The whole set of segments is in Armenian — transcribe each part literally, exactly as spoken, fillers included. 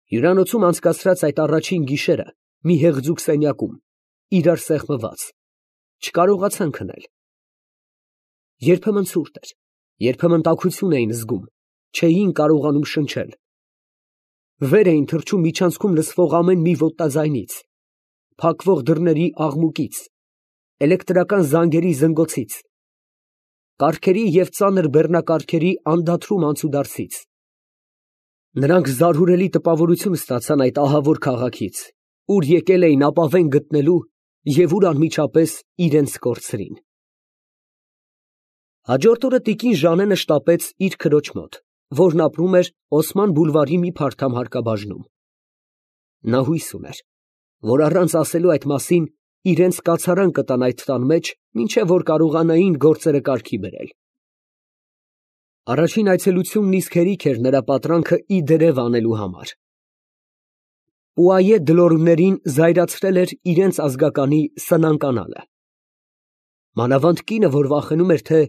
Հյուրանոցում անցկացրած այդ առաջին գիշերը մի հեղձուկ սենյակում, իրար սեղմված, չկարողացան քնել։ Երբեմն ցուրտ էր, երբեմն տաքություն էին զգում, չէին կարողանում շնչել։ Վեր էին թռչում միջանցքում լսվող ամեն մի ոտնաձայնից, փակվող դռների աղմուկից, էլեկտրական զանգերի զնգոցից, կառքերի և ծանր բեռնակառքերի անդադրում անցուդարձից։ Նրանք զարհուրելի տպավորություն ստացան այդ ահավոր քաղաքից, ուր եկել էին ապավեն գտնելու և ուր անմիջապես իրենց կորցրին։ Հաջորդ օրը տիկին Ժանենը շտապեց իր քրոջ մոտ, որն ապրում էր Օսման բուլվարի մի փարթամ հարկաբաժնում։ Նա հույս ուներ, որ առանց ասելու այդ մասին իրենց կացարան կտան այդ տան մեջ, մինչև որ կարողանային գործերը կարգի բերել։ Առաջին այցելությունն իսկ հերիք էր նրա պատրանքը ի դերև անելու համար։ Պուայե Դլորմներին զայրացրել էր իրենց ազգականի սնանկանալը։ Մանավանդ կինը, որ վախենում էր, թե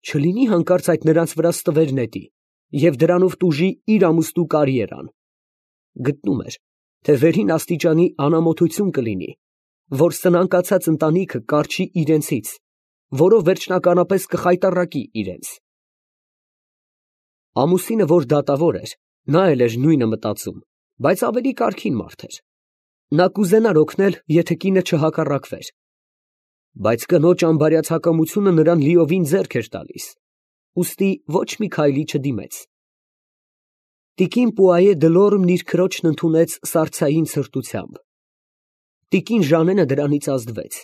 չլինի հանկարծ այդ նրանց վրա ստվեր նետի և դրանով տուժի իր ամուսնու կարիերան, գտնում էր, թե վերին աստիճանի անամոթություն կլինի, որ սնանկացած ընտանիքը կառչի իրենցից, որով վերջնականապես կխայտառակի իրենց։ Ամուսինը, որ դատավոր էր, նա էլ էր նույնը մտածում, բայց ավելի կարգին մարդ էր։ Նա կուզենար օգնել, եթե կինը չհակառակվեր, բայց կնոջ անբարյացակամությունը նրան լիովին ձեռք էր տալիս, ուստի ոչ մի քայլի չդիմեց։ Տիկին Պուայե Դլորմն իր քրոջն ընդունեց սառցային սրտությամբ։ Տիկին Ժանենը դրանից ազդվեց։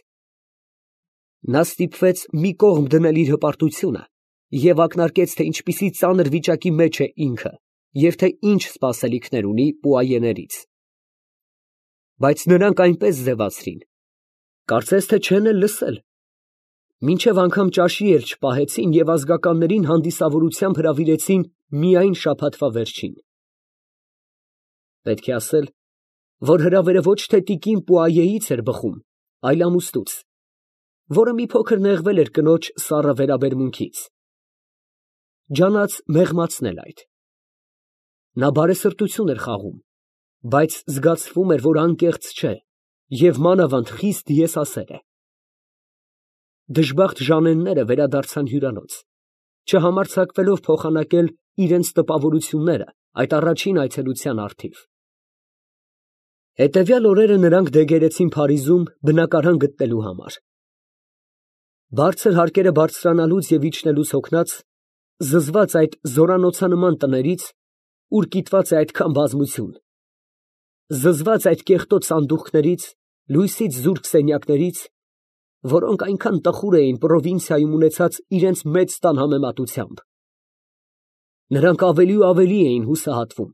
Նա ստիպվեց մի կողմ դնել իր հպարտությունը և ակնարկեց, թե ինչպիսի ծանր վիճակի մեջ է ինքը և թե ինչ սպասելիքներ ունի Պուայեներից։ Բայց նրանք այնպես ձևացրին, կարծես թե չեն էլ լսել, մինչև անգամ ճաշի էլ չպահեցին և ազգականներին հանդիսավորությամբ հրավիրեցին միայն շաբաթվա վերջին։ Պետք է ասել, որ հրավերը ոչ թե տիկին Պուայեից էր բխում, այլ ամուսնուց, որը մի փոքր նեղվել էր կնոջ սառը վերաբերմունքից, ջանաց մեղմացնել այդ։ Նա բարեսրտություն էր խաղում, բայց զգացվում էր, որ անկեղծ չէ և մանավանդ խիստ եսասեր է։ Դժբախտ Ժանենները վերադարձան հյուրանոց, չհամարձակվելով փոխանակել իրենց տպավորությունները այդ առաջին այցելության առթիվ։ Հետևյալ օրերը նրանք դեգերեցին Փարիզում բնակարան գտնելու համար։ Բարձր հարկերը բարձրանալուց և իջնելուց հոգնած, զզված այդ զորանոցանման տներից, ուր կիտված է այդքան բազմություն, զզված այդ կեղտոտ սանդուղքներից, լույսից զուրկ սենյակներից, որոնք այնքան տխուր էին պրովինցիայում ունեցած իրենց մեծ տան համեմատությամբ, նրանք ավելի ու ավելի էին հուսահատվում։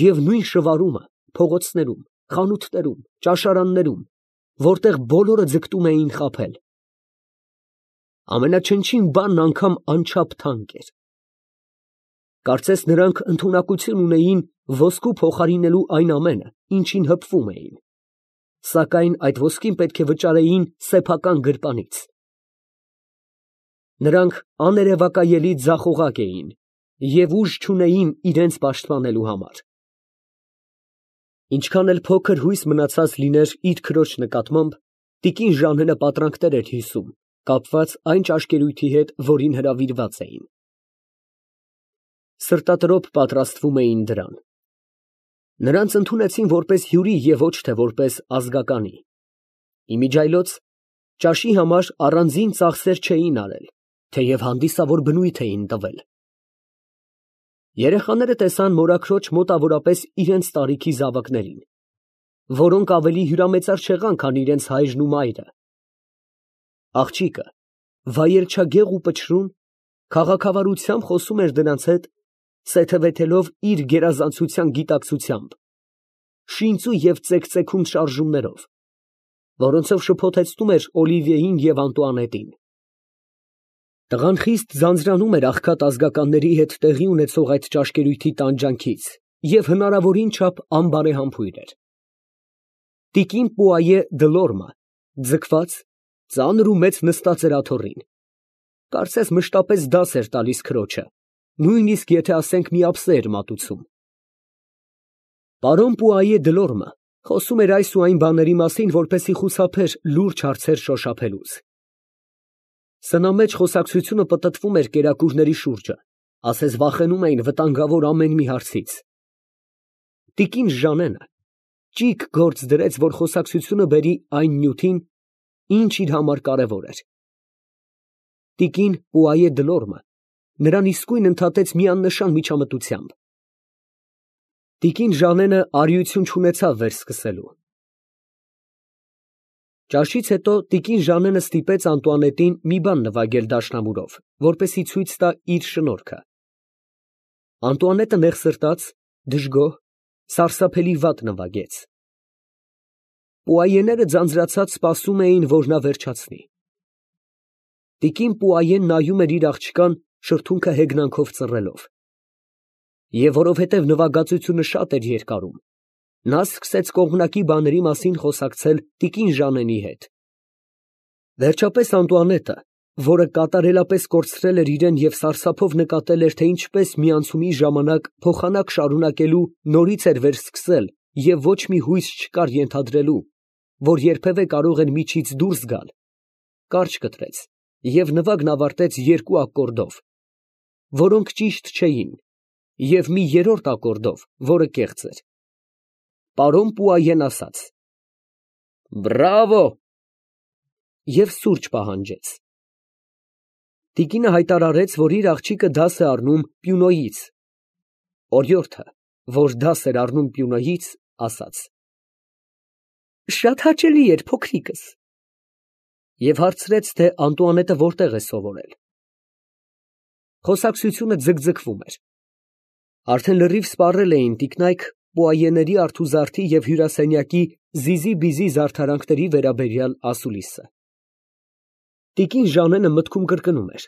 Եվ նույն շվարումը փողոցներում, խանութներում, ճաշարաններում, որտեղ բոլորը ձգտում էին խաբել, ամենաչնչին բանն անգամ անչափ թանկ էր։ Կարծես նրանք ընդունակություն ունեին ոսկու փոխարինելու այն ամենը, ինչին հպվում էին, սակայն այդ ոսկին պետք է վճարեին սեփական գրպանից։ Նրանք աներևակայելի ձախողակ էին և ուժ չունեին իրենց պաշտպանելու համար։ Ինչքան էլ փոքր հույս մնացած լիներ իր քրոջ նկատմամբ, տիկին Ժանենը պատրանքներ էր հյուսում, կապված այն ճաշկերույթի հետ, որին հրավիրված էին։ Սրտատրոփ պատրաստվում էին դրան։ Նրանց ընդունեցին որպես հյուրի և ոչ թե որպես ազգականի։ Իմիջիայլոց ճաշի համար առանձին ծախսեր չէին արել, թեև հանդիսավոր բնույթ էին տվել։ Երեխաները տեսան մորաքրոջ մոտավորապես իրենց տարիքի զավակներին, որոնք ավելի հյուրամեծար չեղան, քան իրենց հայրն ու մայրը։ Աղջիկը, վայելչագեղ ու պչրուն, քաղաքավարությամբ խոսում էր դրանց հետ, սեթևեթելով իր գերազանցության գիտակցությամբ, շինծու և ծեքծեքուն շարժումներով, որոնցով շփոթեցնում էր Օլիվիեին և Անտուանետին։ Տղան խիստ ձանձրանում էր աղքատ ազգականների հետ տեղի ունեցող այդ ճաշկերույթի տանջանքից և հնարավորին չափ անբարեհամբույր էր։ Տիկին Պուայե Դլորմը, ձգված, ծանր ու մեծ նստած էր աթոռին, կարծես մշտապես դաս էր տալիս քրոջը, նույնիսկ եթե ասենք մի ափսե էր մատուցում։ Պարոն Պուայե Դլորմը խոսում էր այս ու այն բաների մասին, որպեսզի խուսափեր լուրջ հարցեր շոշափելուց։ Սնամեջ խոսակցությունը պտտվում էր կերակուրների շուրջը, ասես վախենում էին վտանգավոր ամեն մի հարցից։ Տիկին Ժանենը ճիգ գործ դրեց, որ խոսակցությունը բերի այն նյութին, ինչ իր համար կարևոր էր։ Տիկին Պուայե Դլորմը նրան իսկույն ընդհատեց մի աննշան միջամտությամբ։ Տիկին Ժանենը արիություն չունեցավ վերսկսելու։ Ճաշից հետո տիկին Ժանենը ստիպեց Անտուանետին մի բան նվագել դաշնամուրով, որպեսզի ցույց տա իր շնորհքը։ Անտուանետը նեղսրտաց, դժգոհ, սարսափելի վատ նվագեց։ Պուայեները ձանձրացած սպասում էին, որ նա վերջացնի։ Տիկին Պուայեն նայում էր իր աղջկան, շրթունքը հեգնանքով ծռելով։ Եվ որովհետև նվագածությունը շատ էր երկարում, նա սկսեց կողմնակի բաների մասին խոսակցել տիկին Ժանենի հետ։ Վերջապես Անտուանետը, որը կատարելապես կորցրել էր իրեն և սարսափով նկատել էր, թե ինչպես մի անցումի ժամանակ փոխանակ շարունակելու նորից էր վերսկսել և ոչ մի հույս չկար ենթադրելու, որ երբևէ կարող էր միջից դուրս գալ, կարճ կտրեց և նվագն ավարտեց երկու ակորդով, որոնք ճիշտ չէին, և մի երրորդ ակորդով, որը կեղծ էր։ Պարոն Պուայեն ասաց. «Բրավո» և սուրճ պահանջեց։ Տիկինը հայտարարեց, որ իր աղջիկը դաս է առնում պիանոյից։ Օրիորդը, որ դաս էր առնում պիանոյից, ասաց. «Շատ հաճելի էր, փոքրիկս» և հարցրեց, թե Անտուանետը որտեղ է սովորել։ Խոսակցությունը ձգձգվում էր։ Արդեն լրիվ սպառել էին տիկնայք Պուայեների արթուզարդի և հյուրասենյակի զիզի֊բիզի զարդարանքների վերաբերյալ ասուլիսը։ Տիկին Ժանենը մտքում կրկնում էր.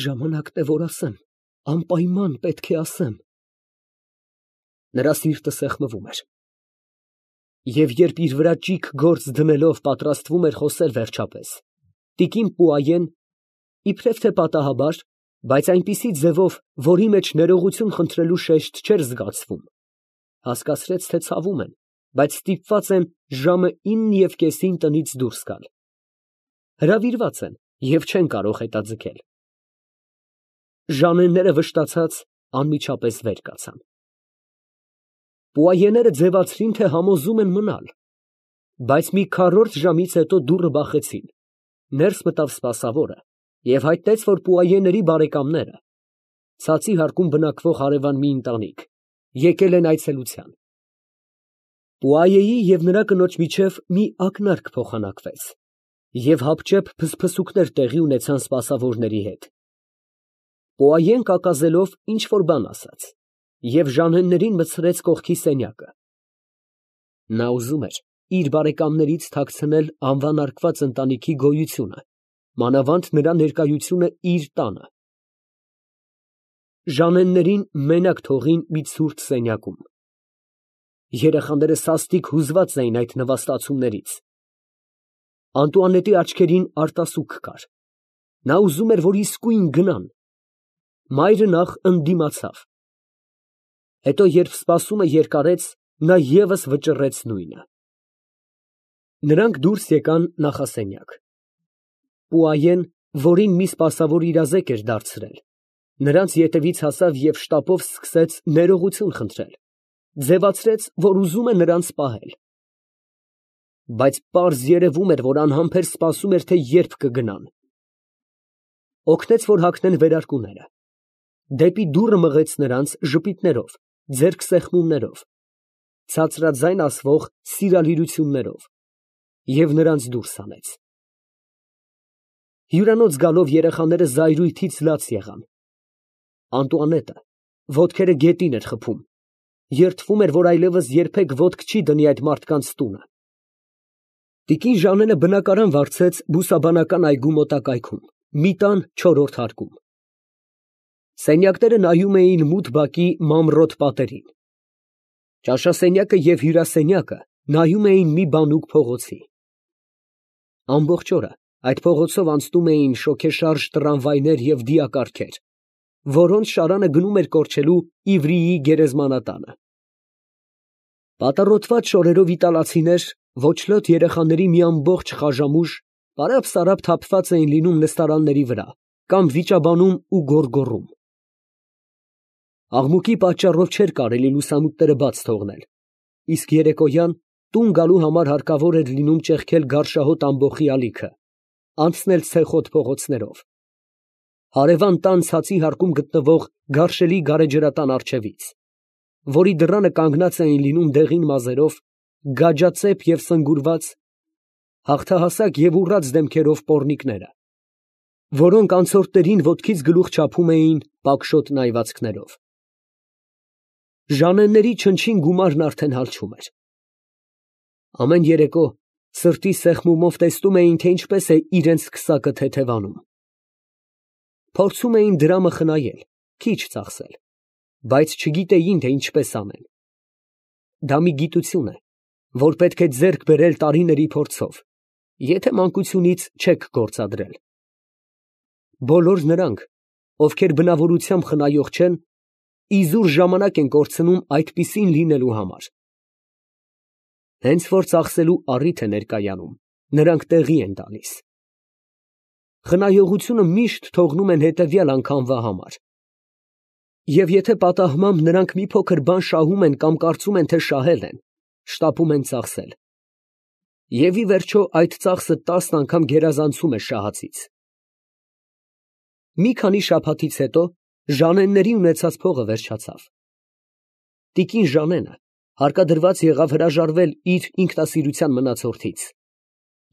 «Ժամանակն է, որ ասեմ, անպայման պետք է ասեմ»։ Նրա սիրտը սեղմվում էր։ Եվ երբ իր վրա ճիգ գործ դնելով պատրաստվում էր խոսել վերջապես, տիկին Պուայեն, իբրև թե պատահաբար, բայց այնպիսի ձևով, որի մեջ ներողություն խնդրելու շեշտ չէր զգացվում, հասկացրեց, թե ցավում են, բայց ստիպված են ժամը ինը և կեսին տնից դուրս գալ։ Հրավիրված են և չեն կարող հետաձգել։ Ժանենները վշտացած անմիջապես վեր կացան։ Պուայեները ձևացրին, թե համոզում են մնալ, բայց մի քառորդ ժամից հետո դուռը բախեցին, ներս մտավ սպասավորը և հայտնեց, որ Պուայեների բարեկամները, ցածի հարկում բնակվող հարևան մի ընտանիք, եկել են այցելության։ Պուայեի և նրա կնոջ միջև մի ակնարկ փոխանակվեց, և հապճեպ փսփսուկներ տեղի ունեցան սպասավորների հետ։ Պուայեն կակազելով ինչ֊որ բան ասաց և Ժանեններին մտցրեց կողքի սենյակը։ Նա ուզում էր իր բարեկամներից թաքցնել անվանարկված ընտանիքի գոյությունը, մանավանդ նրա ներկայությունը իր տանը։ Ժանեններին մենակ թողին մի ցուրտ սենյակում։ Երեխաները սաստիկ հուզված էին այդ նվաստացումներից։ Անտուանետի աչքերին արտասուք կար։ Նա ուզում էր, որ իսկույն գնան։ Մայրը նախ ընդդիմացավ։ Հետո, երբ սպասումը երկարեց, նա ևս վճռեց նույնը։ Նրանք դուրս եկան նախասենյակ։ Պուայեն, որին մի սպասավոր իրազեկ էր դարձրել, նրանց ետևից հասավ և շտապով սկսեց ներողություն խնդրել, ձևացրեց, որ ուզում է նրանց պահել։ Բայց պարզ երևում էր, որ անհամբեր սպասում էր, թե երբ կգնան։ Օգնեց, որ հագնեն վերարկուները։ Դեպի դուռը մղեց նրանց ժպիտներով, ձեռք սեղմումներով, ցածրաձայն ասվող սիրալիրություններով և նրանց դուրս հանեց։ Հյուրանոց գալով երեխաները զայրույթից լաց եղան։ Անտուանետը ոտքերը գետին էր խփում, երդվում էր, որ այլևս երբեք ոտք չի դնի այդ մարդկանց տունը։ Տիկին Ժանենը բնակարան վարձեց բուսաբանական այգու մոտակայքում, մի տան չորրորդ հարկում։ Սենյակները նայում էին մութ բակի մանրոտ պատերին։ Ճաշասենյակը և հյուրասենյակը նայում էին մի բանուկ փողոցի։ Ամբողջ օրը այդ փողոցով անցնում էին շոգեշարժ տրամվայներ և դիակառքեր, որոնց շարանը գնում էր կորչելու իվրիի գերեզմանատանը։ Պատառոտված շորերով իտալացիներ, ոչլոտ երեխաների մի ամբողջ խաժամուժ, պարապ֊սարապ թափված էին լինում նստարանների վրա կամ վիճաբանում ու գոռգոռում։ Աղմուկի պատճառով չէր կարելի լուսամուտները բաց թողնել, իսկ երեկոյան տուն գալու համար հարկավոր էր լինում ճեղքել գարշահոտ ամբոխի ալիքը, անցնել ցեխոտ փողոցներով, հարևան տան ցածի հարկում գտնվող գարշելի գարեջրատան առջևից, որի դռանը կանգնած էին լինում դեղին մազերով, գաջածեպ և սնգուրված, հաղթահասակ և ուռած դեմքերով պոռնիկները, որոնք անցորդներին ոտքից գլուխ չափում էին պակշոտ նայվածքներով։ Ժանենների չնչին գումարն արդեն հալչում էր։ Ամեն երեկո սրտի սեղմումով տեսնում էին, թե ինչպես է իրենց քսակը թեթևանում։ Փորձում էին դրամը խնայել, քիչ ծախսել, բայց չգիտեին, թե ինչպես անեն։ Դա մի գիտություն է, որ պետք է ձեռք բերել տարիների փորձով, եթե մանկությունից չեք գործադրել։ Բոլոր նրանք, ովքեր բնավորությամբ խնայող չեն, իզուր ժամանակ են կորցնում այդպիսին լինելու համար։ Հենց որ ծախսելու առիթ է ներկայանում, նրանք տեղի են տալիս։ Խնայողությունը միշտ թողնում են հետևյալ անգամվա համար։ Եվ եթե պատահմամբ նրանք մի փոքր բան շահում են կամ կարծում են, թե շահել են, շտապում են ծախսել։ Եվ ի վերջո այդ ծախսը տասն անգամ գերազանցում է շահածից։ Մի քանի շաբաթից հետո Ժանենների ունեցած փողը վերջացավ։ Տիկին Ժանենը հարկադրված եղավ հրաժարվել իր ինքնասիրության մնացորդից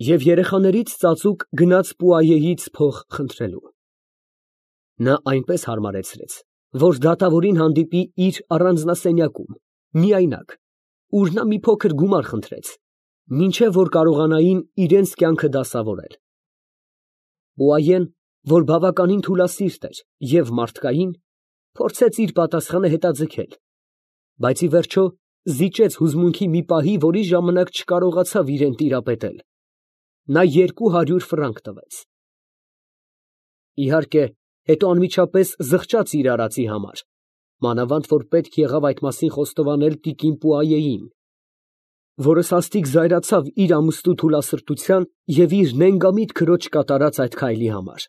և երեխաներից ծածուկ գնաց Պուայեից փող խնդրելու։ Նա այնպես հարմարեցրեց, որ դատավորին հանդիպի իր առանձնասենյակում, միայնակ, ուր նա մի փոքր գումար խնդրեց, մինչև որ կարողանային իրենց կյանքը դասավորել։ Պուայեն, որ բավականին թուլասիրտ էր և մարդկային, փորձեց իր պատասխանը հետաձգել, բայց ի վերջո զիջեց հուզմունքի մի պահի, որի ժամանակ չկարողացավ իրեն տիրապետել։ Նա երկու հարյուր ֆրանկ տվեց։ Իհարկե, հետո անմիջապես զղջաց իր արածի համար, մանավանդ որ պետք եղավ այդ մասին խոստովանել տիկին Պուայեին, որը սաստիկ զայրացավ իր ամուսնու թուլասրտության և իր նենգամիտ քրոջ կատարած այդ քայլի համար։